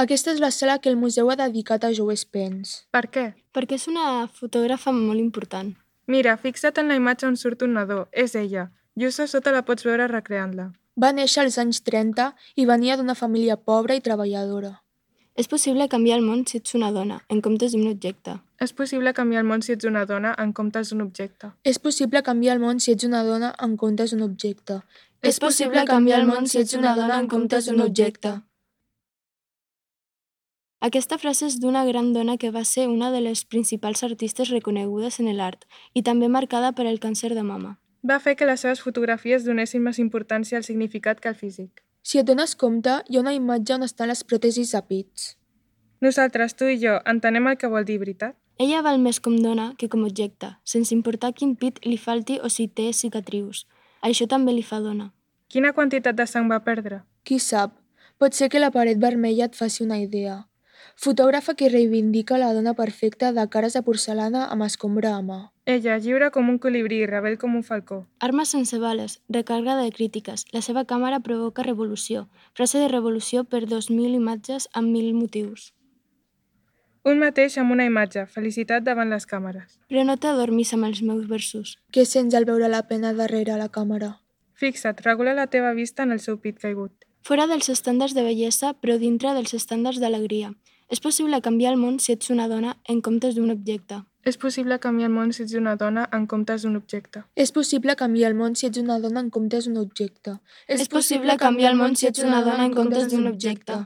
Aquesta és la sala que el museu ha dedicat a Joe Spence. Per què? Perquè és una fotògrafa molt important. Mira, fixa't en la imatge on surt un nadó. És ella. Just a sota la pots veure recreant-la. Va néixer als anys 30 i venia d'una família pobra i treballadora. És possible canviar el món si ets una dona, en comptes d'un objecte. És possible canviar el món si ets una dona en comptes d'un objecte. És possible canviar el món si ets una dona en comptes d'un objecte. És possible canviar el món si ets una dona en comptes d'un objecte. Aquesta frase és d'una gran dona que va ser una de les principals artistes reconegudes en l'art i també marcada per el càncer de mama. Va fer que les seves fotografies donessin més importància al significat que al físic. Si et dones compte, hi ha una imatge on estan les pròtesis a pits. Nosaltres, tu i jo, entenem el que vol dir, veritat? Ella val més com dona que com objecte, sense importar quin pit li falti o si té cicatrius. Això també li fa dona. Quina quantitat de sang va perdre? Qui sap, pot ser que la paret vermella et faci una idea. Fotògrafa que reivindica la dona perfecta de cares de porcelana amb escombra a mà. Ella, lliure com un colibrí i rebel com un falcó. Armes sense bales, recàrrega de crítiques, la seva càmera provoca revolució. Frase de revolució per 2.000 imatges amb 1.000 motius. Un mateix amb una imatge, felicitat davant les càmeres. Però no t'adormis amb els meus versos. Què sents al veure la pena darrere la càmera? Fixa't, regula la teva vista en el seu pit caigut. Fora dels estàndards de bellesa, però dintre dels estàndards d'alegria. És possible canviar el món si ets una dona en comptes d'un objecte. És possible canviar el món si ets una dona en comptes d'un objecte. És possible canviar el món si ets una dona en comptes d'un objecte. És possible canviar el món si ets una dona en comptes d'un objecte.